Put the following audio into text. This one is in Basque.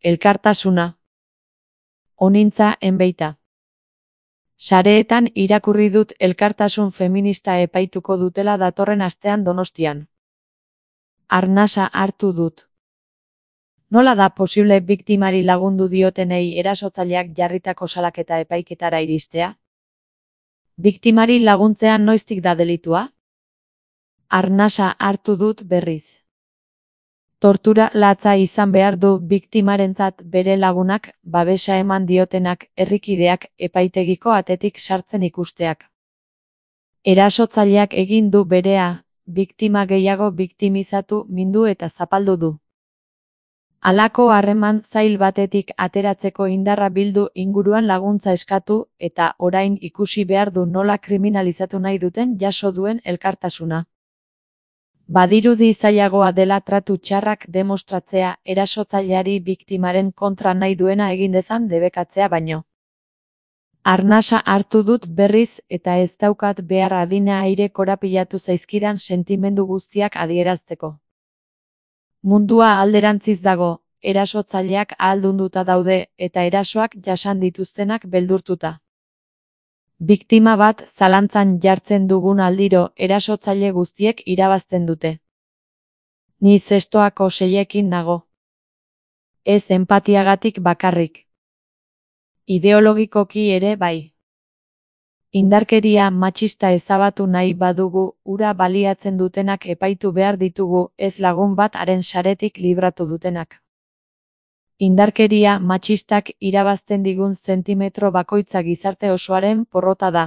Elkartasuna. Onintza enbeita. Sareetan irakurri dut elkartasun feminista epaituko dutela datorren astean Donostian. Arnasa hartu dut. Nola da posible biktimari lagundu diotenei erasotzaileak jarritako salaketa epaiketara iristea? Biktimari laguntzea noiztik da delitua? Arnasa hartu dut berriz. Tortura latza izan behar du biktimarentzat bere lagunak, babesa eman diotenak, herrikideak, epaitegiko atetik sartzen ikusteak. Erasotzaileak egin du berea, biktima gehiago biktimizatu, mindu eta zapaldu du. Halako harreman zail batetik ateratzeko indarra bildu inguruan laguntza eskatu, eta orain ikusi behar du nola kriminalizatu nahi duten jaso duen elkartasuna. Badirudi zailagoa dela tratu txarrak demostratzea erasotzaileari biktimaren kontra nahi duena egin dezan debekatzea baino. Arnasa hartu dut berriz eta ez daukat behar adina aire korapilatu zaizkidan sentimendu guztiak adierazteko. Mundua alderantziz dago, erasotzaileak ahaldunduta daude eta erasoak jasan dituztenak beldurtuta. Biktima bat zalantzan jartzen dugun aldiro erasotzaile guztiek irabazten dute. Ni zestoako seiekin nago. Ez enpatiagatik bakarrik. Ideologikoki ere bai. Indarkeria matxista ezabatu nahi badugu, ura baliatzen dutenak epaitu behar ditugu, ez lagun bat haren saretik libratu dutenak. Indarkeria matxistak irabazten digun zentimetro bakoitza gizarte osoaren porrota da.